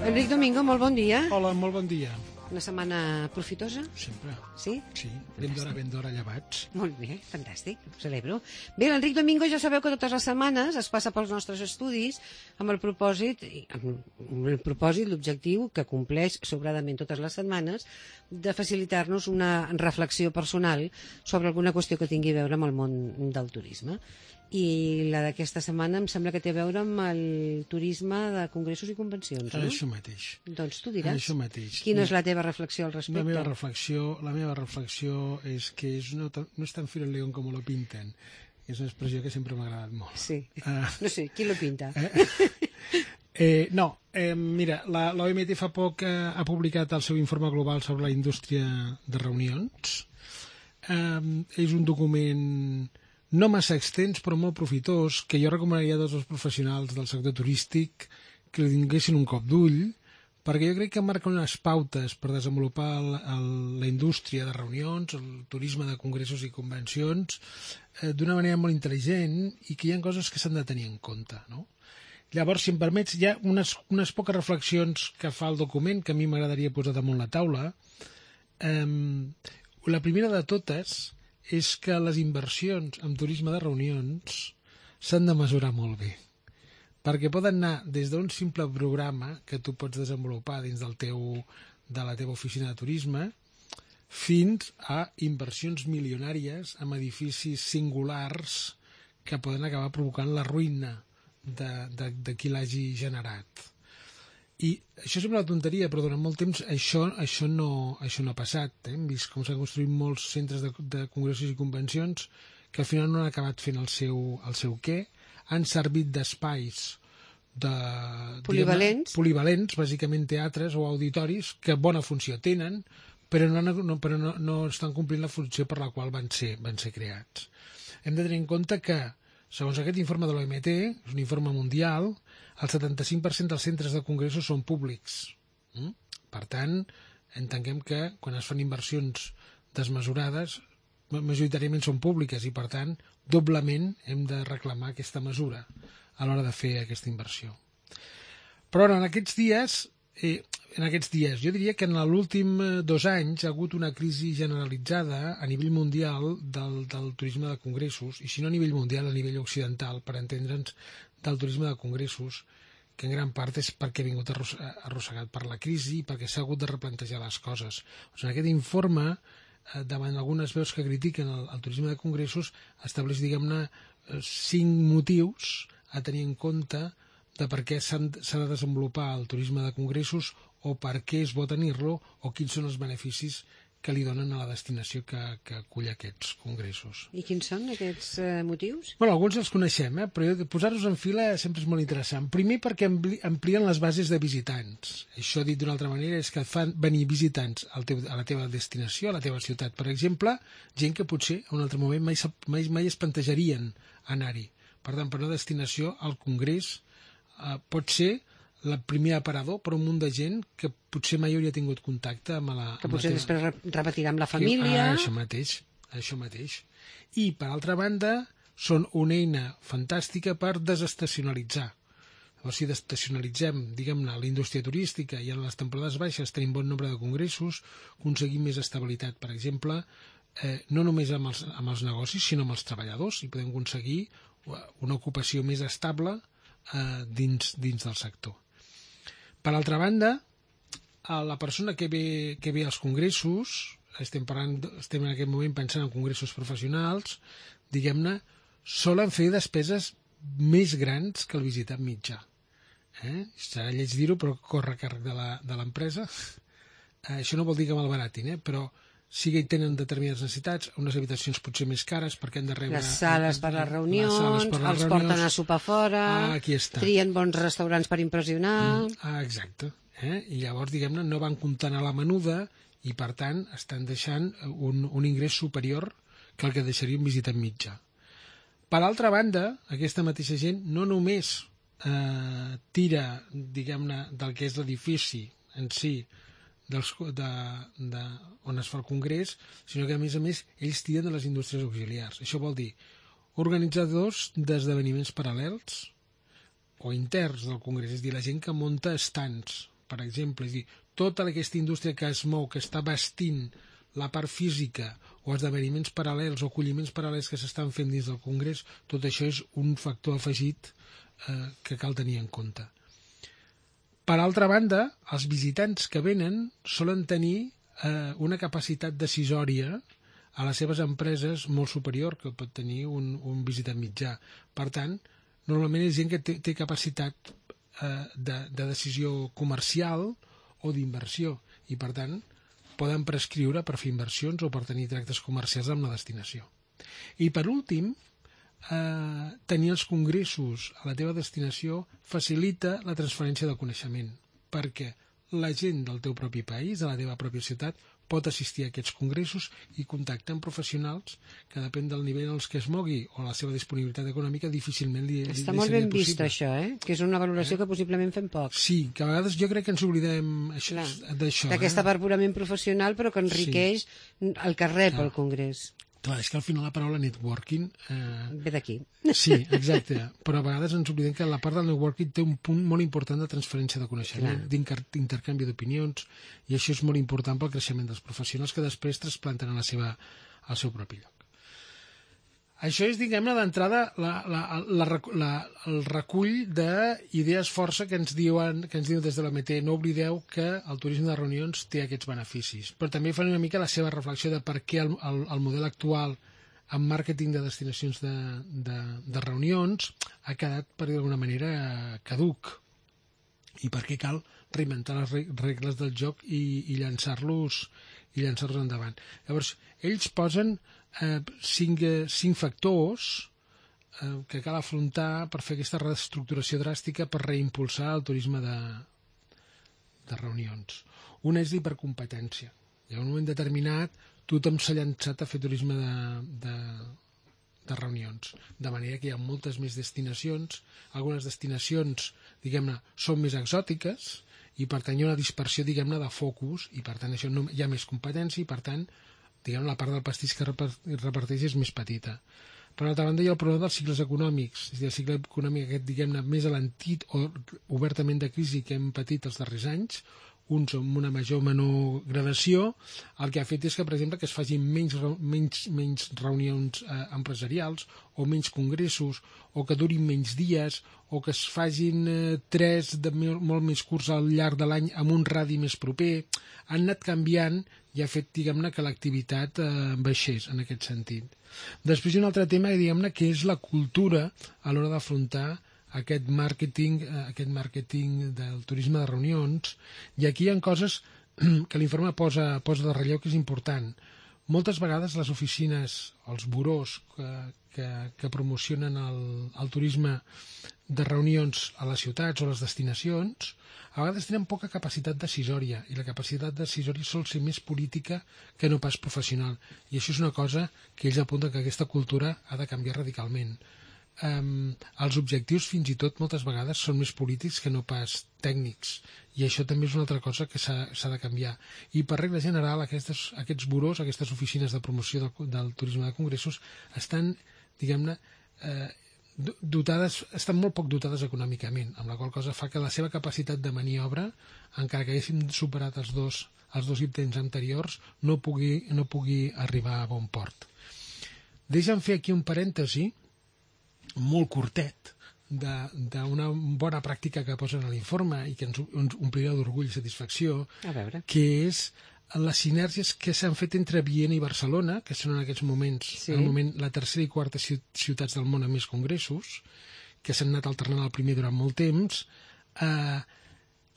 Enric Domingo, molt bon dia. Hola, molt bon dia. Una setmana profitosa? Sempre. Sí? Sí, ben d'hora llevats. Molt bé, fantàstic, ho celebro. Bé, l'Enric Domingo ja sabeu que totes les setmanes es passa pels nostres estudis amb el propòsit, l'objectiu que compleix sobradament totes les setmanes, de facilitar-nos una reflexió personal sobre alguna qüestió que tingui a veure amb el món del turisme. I la d'aquesta setmana em sembla que té a veure amb el turisme de congressos i convencions, no? Això mateix. Doncs tu diràs. Això mateix. Quina és la teva reflexió al respecte? La meva reflexió és que no és tan fil león com lo pinten. És una expressió que sempre m'ha agradat molt. Sí. No sé, qui lo pinta? Mira, l'OMT fa poc ha publicat el seu informe global sobre la indústria de reunions. És un document no massa extens, però molt profitós, que jo recomanaria a tots els professionals del sector turístic que li donessin un cop d'ull, perquè jo crec que marca unes pautes per desenvolupar la indústria de reunions, el turisme de congressos i convencions, d'una manera molt intel·ligent i que hi ha coses que s'han de tenir en compte, no? Llavors, si em permets, hi ha unes poques reflexions que fa el document que a mi m'agradaria posar damunt la taula. La primera de totes és que les inversions en turisme de reunions s'han de mesurar molt bé, perquè poden anar des d'un simple programa que tu pots desenvolupar dins de la teva oficina de turisme fins a inversions milionàries en edificis singulars que poden acabar provocant la ruïna de qui l'hagi generat. I això sembla una tonteria, però durant molt temps això no ha passat. Hem vist com s'han construït molts centres de congressos i convencions que al final no han acabat fent el seu què. Han servit d'espais polivalents, bàsicament teatres o auditoris, que bona funció tenen, però no estan complint la funció per la qual van ser creats. Hem de tenir en compte que, segons aquest informe de l'OMT, és un informe mundial, el 75% dels centres de congressos són públics. Per tant, entenguem que quan es fan inversions desmesurades, majoritàriament són públiques i, per tant, doblement hem de reclamar aquesta mesura a l'hora de fer aquesta inversió. Però en aquests dies, jo diria que en l'últim 2 anys ha hagut una crisi generalitzada a nivell mundial del turisme de congressos, i si no a nivell mundial, a nivell occidental, per entendre'ns, del turisme de congressos, que en gran part és perquè ha vingut arrossegat per la crisi i perquè s'ha hagut de replantejar les coses. En aquest informe, davant algunes veus que critiquen el turisme de congressos, estableix, diguem-ne, 5 motius a tenir en compte de per què s'ha de desenvolupar el turisme de congressos o per què és bo tenir-lo o quins són els beneficis que li donen a la destinació que acull aquests congressos. I quins són aquests motius? Bueno, alguns els coneixem, però posar-los en fila sempre és molt interessant. Primer perquè amplien les bases de visitants. Això, dit d'una altra manera, és que fan venir visitants a la teva destinació, a la teva ciutat. Per exemple, gent que potser en un altre moment mai es plantejarien anar-hi. Per tant, per una destinació, el congrés pot ser el primer aparador per un munt de gent que potser mai hauria tingut contacte amb la... Que potser després repetirà amb la família... Això mateix. I, per altra banda, són una eina fantàstica per desestacionalitzar. Llavors, si desestacionalitzem, diguem-ne, la indústria turística i en les temporades baixes tenim bon nombre de congressos, aconseguim més estabilitat, per exemple, no només amb els negocis, sinó amb els treballadors, i podem aconseguir una ocupació més estable dins del sector. Per altra banda, la persona que ve als congressos, estem en aquest moment pensant en congressos professionals, diguem-ne, solen fer despeses més grans que el visitant mitjà. Serà lleig dir-ho, però corre a càrrec de l'empresa. Això no vol dir que malbaratin, però sí que hi tenen determinades necessitats, unes habitacions potser més cares perquè han de rebre... Les sales per les reunions, els porten a sopar fora, trien bons restaurants per impressionar... Exacte. I llavors, diguem-ne, no van comptant a la menuda i, per tant, estan deixant un ingrés superior que el que deixaria un visitant mitjà. Per altra banda, aquesta mateixa gent no només tira, diguem-ne, del que és l'edifici en si, on es fa el congrés, sinó que a més ells tiren de les indústries auxiliars. Això vol dir organitzadors d'esdeveniments paral·lels o interns del congrés, és a dir, la gent que munta estants, per exemple, és a dir, tota aquesta indústria que es mou, que està vestint la part física o esdeveniments paral·lels o acolliments paral·lels que s'estan fent dins del congrés, tot això és un factor afegit que cal tenir en compte. Per altra banda, els visitants que venen solen tenir una capacitat decisòria a les seves empreses molt superior que pot tenir un visitant mitjà. Per tant, normalment és gent que té capacitat de decisió comercial o d'inversió i, per tant, poden prescriure per fer inversions o per tenir tractes comercials amb la destinació. I, per últim, tenir els congressos a la teva destinació facilita la transferència de coneixement, perquè la gent del teu propi país, de la teva pròpia ciutat, pot assistir a aquests congressos i contactar amb professionals que depèn del nivell en els que es mogui o la seva disponibilitat econòmica difícilment li seria possible. Està molt ben vist això, que és una valoració que possiblement fem poc. Sí, que a vegades jo crec que ens oblidem d'això. D'aquesta part purament professional però que enriqueix el que rep el congrés. Clar, és que al final la paraula networking... ve d'aquí. Sí, exacte. Però a vegades ens oblidem que la part del networking té un punt molt important de transferència de coneixement, d'intercanvi d'opinions, i això és molt important pel creixement dels professionals que després trasplanten al seu propi lloc. Això és, diguem-ne, d'entrada el recull d'idees força que ens diuen des de l'OMT. No oblideu que el turisme de reunions té aquests beneficis, però també fan una mica la seva reflexió de per què el model actual en màrqueting de destinacions de reunions ha quedat, per dir d'alguna manera, caduc, i per què cal reinventar les regles del joc i llançar-los endavant. Llavors, ells posen 5 factors que cal afrontar per fer aquesta reestructuració dràstica per reimpulsar el turisme de reunions. Una és l'hipercompetència. Hi ha un moment determinat, tothom s'ha llançat a fer turisme de reunions, de manera que hi ha moltes més destinacions. Algunes destinacions, diguem-ne, són més exòtiques i per tant hi ha una dispersió, diguem-ne, de focus i per tant això hi ha més competència i per tant diguem, la part del pastís que reparteix és més petita. Per altra banda, hi ha el problema dels cicles econòmics, és a dir, el cicle econòmic aquest, diguem-ne, més alentit o obertament de crisi que hem patit els darrers anys, uns amb una major o menor gradació, el que ha fet és que, per exemple, que es facin menys reunions empresarials o menys congressos o que durin menys dies o que es facin 3 de molt més curts al llarg de l'any amb un radi més proper. Han anat canviant i ha fet, diguem-ne, que l'activitat baixés en aquest sentit. Després hi ha un altre tema, diguem-ne, que és la cultura a l'hora d'afrontar aquest màrqueting del turisme de reunions, i aquí hi ha coses que l'informe posa de relleu que és important. Moltes vegades les oficines, els burós que promocionen el turisme de reunions a les ciutats o a les destinacions, a vegades tenen poca capacitat decisòria, i la capacitat decisòria sol ser més política que no pas professional. I això és una cosa que ells apunten que aquesta cultura ha de canviar radicalment. Els objectius fins i tot moltes vegades són més polítics que no pas tècnics, i això també és una altra cosa que s'ha de canviar. I per regla general aquests burós, aquestes oficines de promoció del turisme de congressos estan, diguem-ne, estan molt poc dotades econòmicament, amb la qual cosa fa que la seva capacitat de maniobra, encara que haguéssim superat els dos intents anteriors, no pugui arribar a bon port. Deixa'm fer aquí un parèntesi molt curtet d'una bona pràctica que posen a l'informe i que ens omplirà d'orgull i satisfacció, que és les sinergies que s'han fet entre Viena i Barcelona, que són en aquests moments la tercera i quarta ciutats del món amb més congressos, que s'han anat alternant el primer durant molt temps.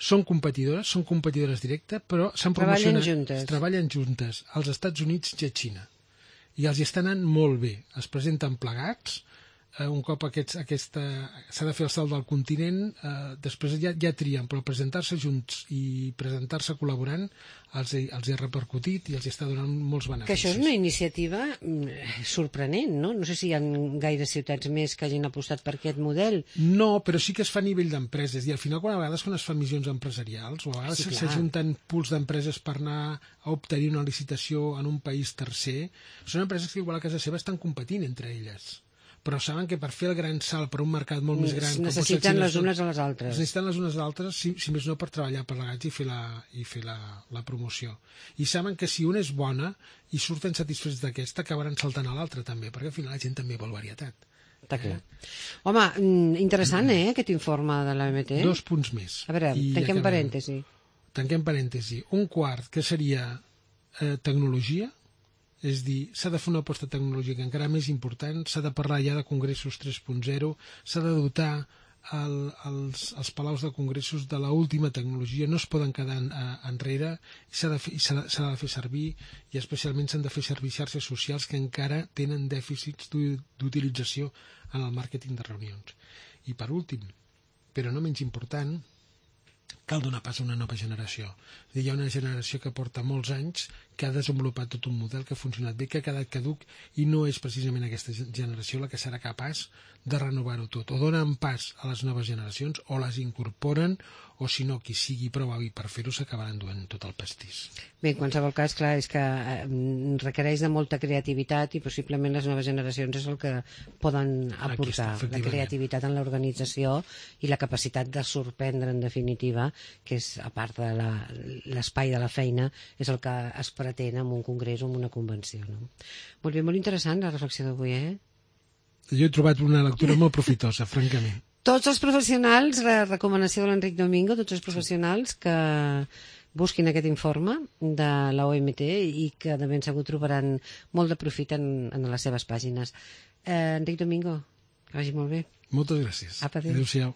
Són competidores directes, però s'han promocionat, treballen juntes als Estats Units i a Xina, i els hi està anant molt bé. Es presenten plegats, un cop s'ha de fer el salt del continent, després ja trien, però presentar-se junts i presentar-se col·laborant els ha repercutit i els està donant molts beneficis. Que això és una iniciativa sorprenent, no? No sé si hi ha gaires ciutats més que hagin apostat per aquest model. No, però sí que es fa a nivell d'empreses, i al final a vegades quan es fan missions empresarials o a vegades s'ajunten pools d'empreses per anar a obtenir una licitació en un país tercer, són empreses que igual a casa seva estan competint entre elles, però saben que per fer el gran salt per un mercat molt més gran... Necessiten les unes a les altres. Necessiten les unes a les altres, si més no, per treballar plegats i fer la promoció. I saben que si una és bona i surten satisfets d'aquesta, acabaran saltant a l'altra també, perquè al final la gent també vol varietat. Està clar. Home, interessant, aquest informe de l'OMT. 2 punts més. A veure, tanquem parèntesi. Tanquem parèntesi. Un quart, que seria tecnologia, és dir, s'ha de fer una aposta tecnològica encara més important, s'ha de parlar ja de congressos 3.0, s'ha de dotar els palaus de congressos de l'última tecnologia, no es poden quedar enrere, s'ha de fer servir, i especialment s'han de fer servir xarxes socials que encara tenen dèficits d'utilització en el màrqueting de reunions. I per últim, però no menys important, cal donar pas a una nova generació. Hi ha una generació que porta molts anys, que ha desenvolupat tot un model que ha funcionat bé, que ha quedat caduc, i no és precisament aquesta generació la que serà capaç de renovar-ho tot. O donen pas a les noves generacions, o les incorporen, o si no, qui sigui prou hàbil per fer-ho s'acabaran duent tot el pastís. Bé, en qualsevol cas, clar, és que requereix de molta creativitat i possiblement les noves generacions és el que poden aportar, la creativitat en l'organització i la capacitat de sorprendre, en definitiva, que és, a part de l'espai de la feina, és el que es pretén en un congrés o en una convenció. No? Molt bé, molt interessant la reflexió d'avui, Jo he trobat una lectura molt profitosa, francament. Tots els professionals, la recomanació de l'Enric Domingo, tots els professionals que busquin aquest informe de la OMT i que de ben segur trobaran molt de profit en les seves pàgines. Enric Domingo, que vagi molt bé. Moltes gràcies. Apa, adéu. Adéu-siau.